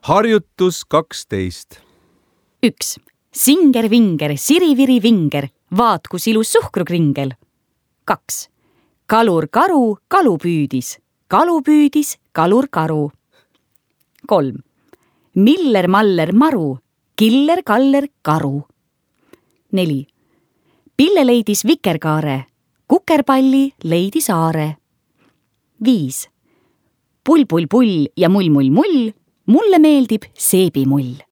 Harjutus 12. 1. Singer-vinger, siriviri-vinger, vaat kus ilus suhkrukringel. 2. Kalur-karu, kalu püüdis, kalur-karu. 3. Miller-maller-maru, killer-kaller karu. 4. Pille leidis vikerkaare, kukerpalli leidis aare. 5. Pull-pull-pull ja mull-mull-mull, mulle meeldib seebimull.